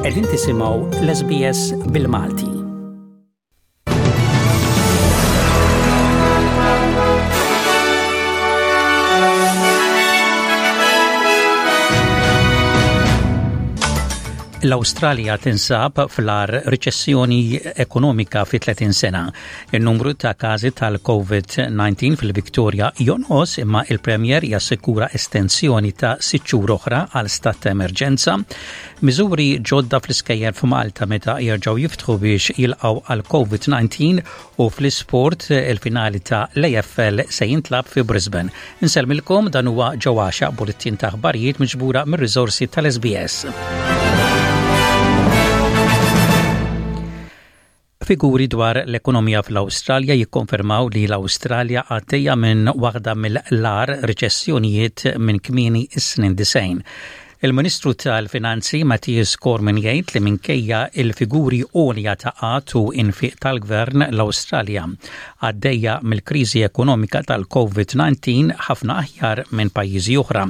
Qegħdin tisimgħu l-SBS bil-Malti. L-Awstralja tinsab fl-ar riċessjoni ekonomika fi 30 sena. Il-numru ta' każi tal-COVID-19 fil-Victoria jonqos imma il-Premier jassikura estensjoni ta' sitt xhur oħra għal stat ta' emerġenza. Miżuri ġodda fl-iskejjel f'Malta meta jerġgħu jiftħu biex jilqgħu għal COVID-19 u fl-isport il-finali ta' l-AFL se jintlab fi Brisbane. Insellmilkom dan huwa ġewwaxa bulletin ta' aħbarijiet miġbura mir-riżorsi tal-SBS. Figuri dwar l-ekonomija fl-Awstralja jikkonfermaw li l-Awstralja għaddejja minn waħda mill-agħar riċessjonijiet minn kmieni s-snin 90. Il-Ministru tal-Finanzi Mathias Cormann jgħid li minkejja il-figuri għolja ta' qgħad u infiq tal-gvern l-Awstralja għaddejja mill-kriżi ekonomika tal-COVID-19 ħafna aħjar minn pajjiżi oħra.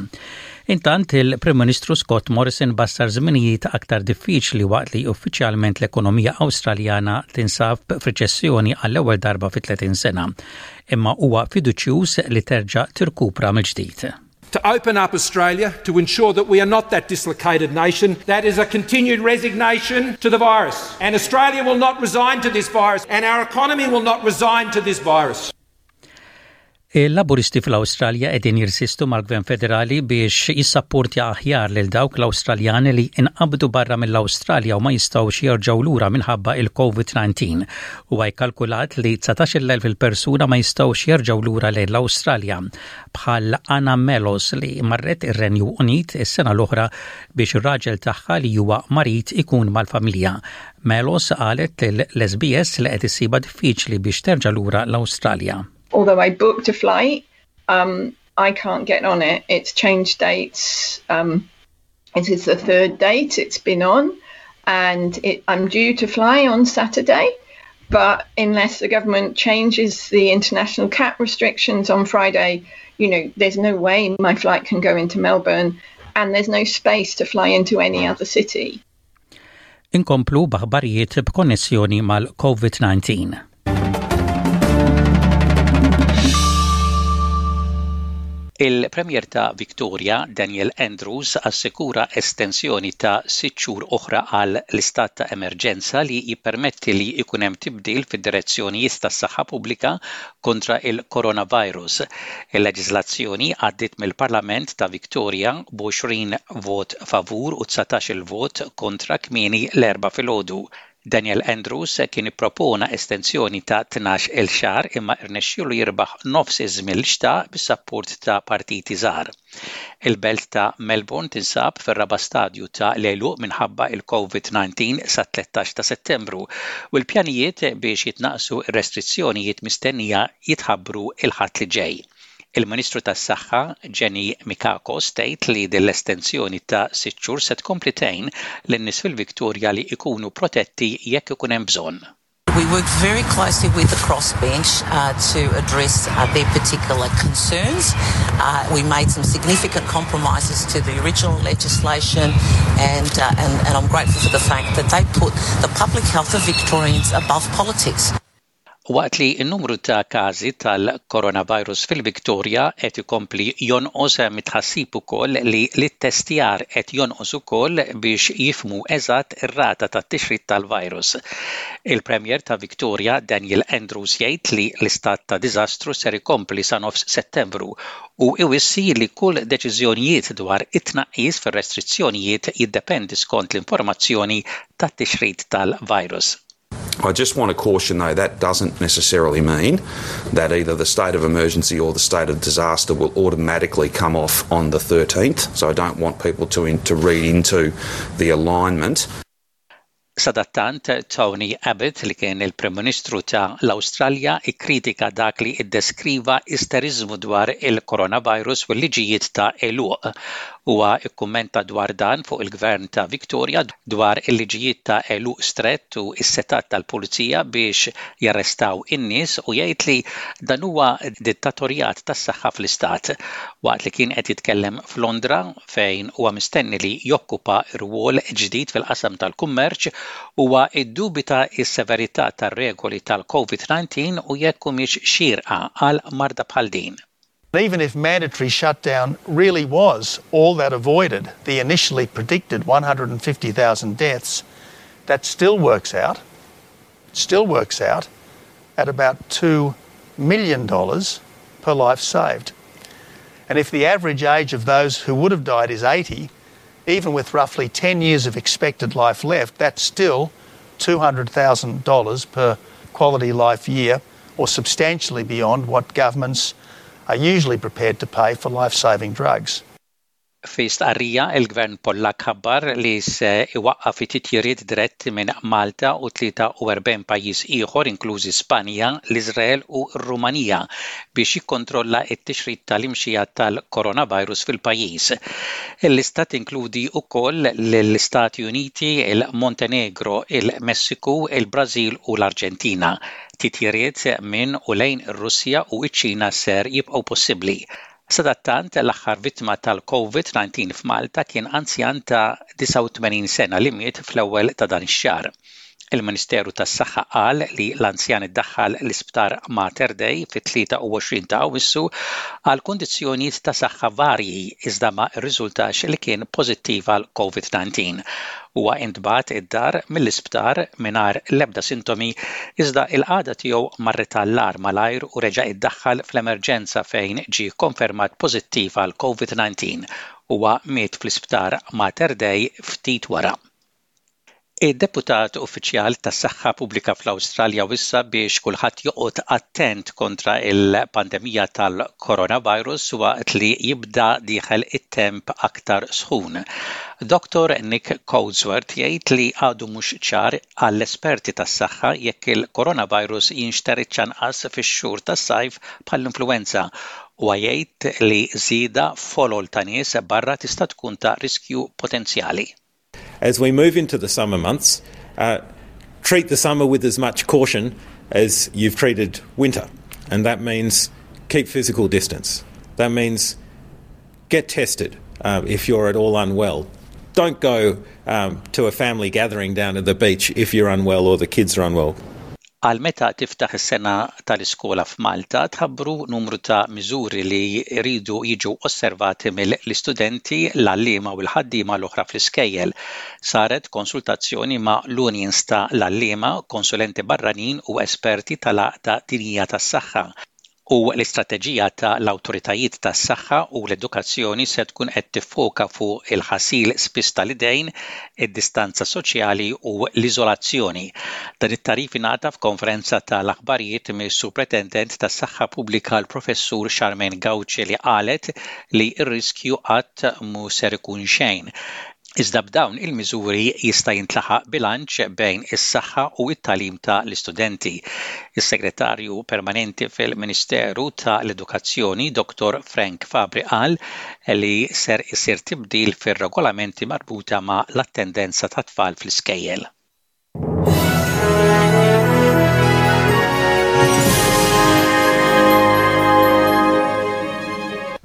Intant, il-Prim Ministru Scott Morrison bassar żminijiet aktar diffiċli waqt li uffiċjalment l-ekonomija Awstraljana tinsab f'riċessjoni għall-ewwel darba fi 30 sena. Imma huwa fiduċjuż li terġa' tirkupra mill-ġdid. To open up Australia to ensure that we are not that dislocated nation that is a continued resignation to the virus. And Australia will not resign to this virus and our economy will not resign to this virus. Il-Laburisti fl-Awstralja qegħdin jirsistu mal-Gvern Federali biex jissapportja aħjar lil dawk l-Awstraljani li inqabdu barra mill-Awstralja u ma jistgħux jerġgħu lura minħabba il-COVID-19. Huwa jkalkulat li 19,000 il-persuna ma jistgħux jerġgħu lura lejn l-Awstralja bħal Anna Melos li marret ir-Renju Unit is-sena l-oħra biex ir-raġel tagħha li huwa marid ikun mal-familja. Melos qalet lill-SBS li qed issibha diffiċli biex terġa' lura l-Awstralja. Although I booked a flight, um, I can't get on it. It's changed dates. Um, it is the third date it's been on, and it, I'm due to fly on Saturday. But unless the government changes the international cap restrictions on Friday, you know, there's no way my flight can go into Melbourne, and there's no space to fly into any other city. Inkomplu b'aħbarijiet b'konnessjoni mal-COVID-19. Il-Premier ta' Victoria, Daniel Andrews, assikura estensjoni ta' sitt xhur oħra għal l-istat ta' emerġenza li jippermetti li jkun hemm tibdil fid-direzzjonijiet tas-saħħa pubblika kontra il-coronavirus. Il-leġiżlazzjoni għaddiet mill-Parlament ta' Victoria b'20 vot favur u 19-il vot kontra kmieni l-Erbgħa filgħodu. Daniel Andrews kien ippropona estensjoni ta' 12-il xahar imma rnexxielu jirbaħ nofs iż-żmien li xtaq bis-sapport ta' partiti żgħar. Il-belt ta' Melbourne tinsab fir-raba' stadju ta' l-għeluq minħabba l-Covid-19 sat-13 ta' Settembru u l-pjanijiet biex jitnaqqsu r-restrizzjonijiet mistennija jitħabbru l-Ħadd li ġej. Il-Ministru tas-Saħħa Jenny Mikakos tgħid li din l-estensjoni ta' sitt xhur se tkompli tgħin lin-nies fil-Victoria li jkunu protetti jekk ikun hemm bżonn. We worked very closely with the crossbench uh, to address uh, their particular concerns. Uh, we made some significant compromises to the original legislation and, uh, and, and I'm grateful for the fact that they put the public health of Victorians above politics. Waqt li n-numru ta' każi tal-coronavirus fil-Victoria qed ikompli jonqos hemm it-tħassib ukoll li l-ittestjar qed jonqos ukoll biex jifhmu eżatt ir-rata tat-tixrid tal-virus. Il-Premier ta' Victoria Daniel Andrews jgħid li l-istat ta' diżastru ser ikompli sa nofs Settembru u iwissi li kull deċiżjonijiet dwar it-tnaqqis fir-restrizzjonijiet jiddependi skont l-informazzjoni tat-tixrid tal-virus. I just want to caution, though, that doesn't necessarily mean that either the state of emergency or the state of disaster will automatically come off on the 13th. So I don't want people to, in, to read into the alignment. Sadattant, Tony Abbott, li kien il-Prim Ministru ta' l-Awstralja, ikkritika dak li ddeskriva isteriżmu dwar il-coronavirus u l-liġijiet ta' għeluq. Huwa kkummenta dwar dan fuq il-Gvern ta' Victoria dwar il-liġijiet ta' għeluq strett u s-setgħat tal-pulizija biex jarrestaw in-nies u jgħid li dan huwa dittatorjat tas-saħħa fl-istat. Waqt li kien qed jitkellem f'Londra, fejn huwa mistenni li jokkupa rwol ġdid fil-qasam tal-kummerċ, huwa ddubita s-severità tar-regoli tal-Covid-19 u jekk humiex xierqa għal marda bħal din. Even if mandatory shutdown really was all that avoided the initially predicted 150,000 deaths, that still works out, still works out at about $2 million per life saved. And if the average age of those who would have died is 80, even with roughly 10 years of expected life left, that's still $200,000 per quality life year, or substantially beyond what governments are usually prepared to pay for life saving drugs. Fi stqarrija, il-Gvern Pollakk ħabbar li se iwaqqaf it-titjiriet diretti minn Malta u 43 pajjiż ieħor inklużi Spanja, l-Iżrael u r-Rumanija biex jikkontrolla t-tixrid tal-imxija tal-coronavirus fil-pajjiż. Il-lista tinkludi wkoll lill-Istati Uniti, il-Montenegro, il-Messiku, il-Brażil u l-Arġentina. Titjiriet minn u lejn ir-Russja u ċ-Ċina ser jibqgħu possibbli. Sadattant, l-aħħar vittma tal-Covid-19 f'Malta kien anzjan ta' 89 sena li miet fl-ewwel ta' dan ix-xahar. Il-Ministeru tas-Saħħa qal li l-anzjan iddaħħal l-Isptar Mater Dei fit-23 ta' Awwissu għal kundizzjonijiet ta' saħħa varji iżda ma rriżultax li kien pożittiv għal Covid-19. Huwa intbagħat id-dar mill-isptar mingħajr l-ebda sintomi iżda l-qagħda tiegħu marret għall-agħar malajr u reġa' iddaħħal fl-emerġenza fejn ġie kkonfermat pożittiv għal Covid-19. Huwa miet fl-Isptar Mater Dei ftit wara. Id-Deputat Uffiċjal tas-Saħħa Pubblika fl-Awstralja wissa biex kulħadd joqgħod attent kontra l-pandemija tal-coronavirus waqt li jibda dieħel it-temp aktar sħun. Dottor Nick Coatsworth jgħid li għadu mhux ċar għall-esperti tas-saħħa jekk il-coronavirus jinxteridx anqas fix-xhur tas-sajf bħall-influwenza. Huwa jgħid li żieda f'folol ta' nies barra tista' tkun ta' riskju potenzjali. As we move into the summer months, uh, treat the summer with as much caution as you've treated winter. And that means keep physical distance. That means get tested uh, if you're at all unwell. Don't go um, to a family gathering down at the beach if you're unwell or the kids are unwell. Għal meta tiftaħ is-sena tal-iskola f'Malta tħabbru numru ta' miżuri li jridu jiġu osservati mill-istudenti, l-għalliema u l-ħaddiema l-oħra fl-iskejjel. Saret konsultazzjoni ma' l-unions ta' l-għalliema, konsulenti barranin u esperti tal-Għaqda Dinjija tas-Saħħa. U l-istrateġija ta' l-awtoritajiet tas-saħħa u l-edukazzjoni se tkun qed tiffoka fuq il-ħasil spiss tal-idejn, id-distanza soċjali u l-iżolazzjoni. Dan it-tagħrif ingħata f'konferenza ta' l-aħbarijiet mis-Supretendent tas-Saħħa Pubblika l-Professur Charmaine Gauci li qalet li r-riskju qatt mhu ser ikun xejn. Iżda b'dawn il-miżuri jista' jintlaħaq bilanċ bejn is-saħħa u t-tagħlim ta' l-istudenti. Is-Segretarju Permanenti fil-Ministeru ta' l-Edukazzjoni, Dottor Frank Fabri qal li ser isir tibdil fir-regolamenti marbuta ma' l-attendenza tat-tfal fl-iskejjel.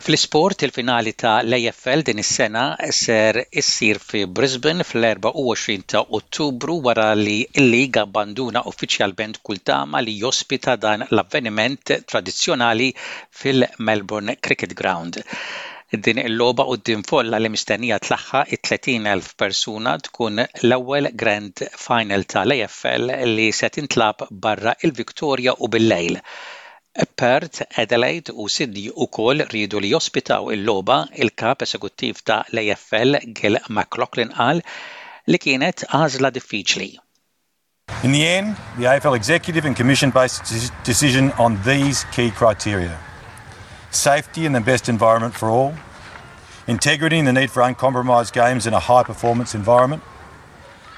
Fl-isport, il-finali ta' l-AFL din is-sena ser issir fi Brisbane fl-24 ta' Ottubru wara li l-league abbanduna uffiċjalment kull tama li jospita dan l-avveniment tradizzjonali fil-Melbourne Cricket Ground. Din il-logħba quddiem folla li mistennija tlaħħaq it-30,000 persuna tkun l-ewwel Grand Final tal-AFL li se tintlagħab barra il-Victoria u bil-lejl. Perth, Adelaide u Sydney ukoll riedu li jospitaw il-logħba, il-Kap Esekuttiv ta' l-AFL Gil McLachlan qal li kienet għażla diffiċli. In the end, the AFL Executive and Commission based its decision on these key criteria. Safety and the best environment for all, integrity and the need for uncompromised games in a high-performance environment,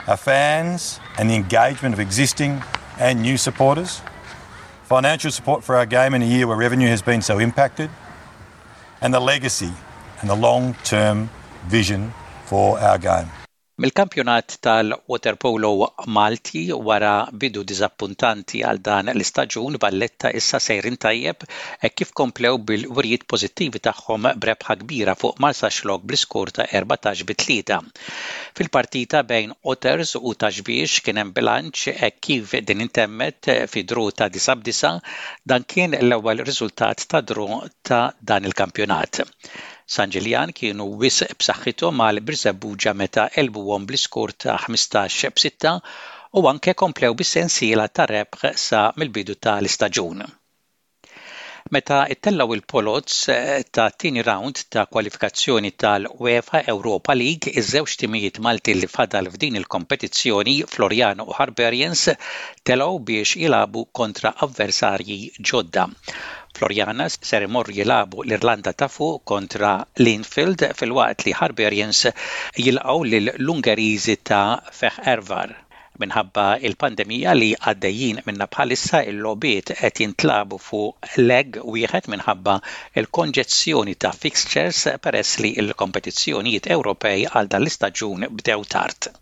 Our fans and the engagement of existing and new supporters, financial support for our game in a year where revenue has been so impacted, and the legacy and the long-term vision for our game. Mill-kampjonat tal-waterpolo Malti wara bidu diżappuntanti għal dan l-istaġun, Valletta issa sejrin tajjeb hekk kif komplew bil-wirjiet pożittivi tagħhom b'rebħa kbira fuq Marsaxlokk bl-iskor ta' 14 bi 3. Fil-partita bejn Otters u Ta' Xbiex kien hemm bilanċ hekk kif din intemmet fi draw ta' disa' b'disa', dan kien l-ewwel riżultat ta' draw ta' dan il-kampjonat. San Ġiljan kienu wisq b'saħħithom għal Birżebbuġa meta għelbuhom bl-iskor ta' 15 b'sitta u anke komplew bis-sensiela ta' rebħ sa mill-bidu ta' l-istaġun. Meta ttellgħu l-poloz tat-tieni rawnd ta' kwalifikazzjoni tal-UEFA Europa League, iż-żewġ timijiet Maltin li fadal f'din il-kompetizzjoni, Floriana u Harbarians, telgħu biex jilagħbu kontra avversarji ġodda. Floriana ser imorru jilagħbu l-Irlanda ta' Fuq kontra Linfield filwaqt li Harbarians jilqgħu lill-Ungeriżi ta' Fehervar. Minħabba l-pandemija li għaddejjin minnha bħalissa il-logħbiet qed jintlagħbu fuq leg wieħed minħabba l-konġezzjoni ta' fixtures peress li l-kompetizzjonijiet Ewropej għal dan l-istaġun bdew tard.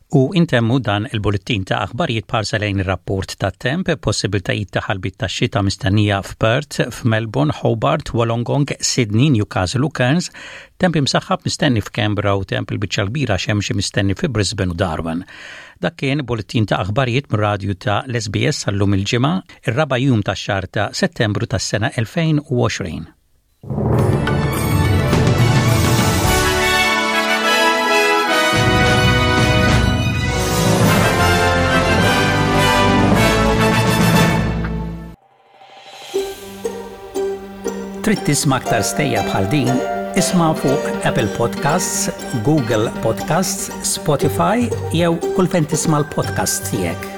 U intemmu dan il-bullettin ta' aħbarijiet b'ħarsa lejn ir-rapport tat-temp, possibiltajiet ta' ħalbiet tax-xita mistennija f'Perth, f'Melbourne, Hobart, Wollongong, Sydney, Newcastle u Cairns, temp imsaħħab mistenni f'Canberra u temp il-biċċa l-kbira xemxi mistenni fi Brisbane u Darwin. Dak kien bullettin ta' aħbarijiet mir-radju ta' l-SBS għal-lum il-Ġimgħa, ir-raba' jum tax-xahar ta' Settembru tas-sena 2020. Trid tisma' aktar stejjer bħal din? Isma' fuq Apple Podcasts, Google Podcasts, Spotify jew kull fejn tisma' l-podcasts tiegħek.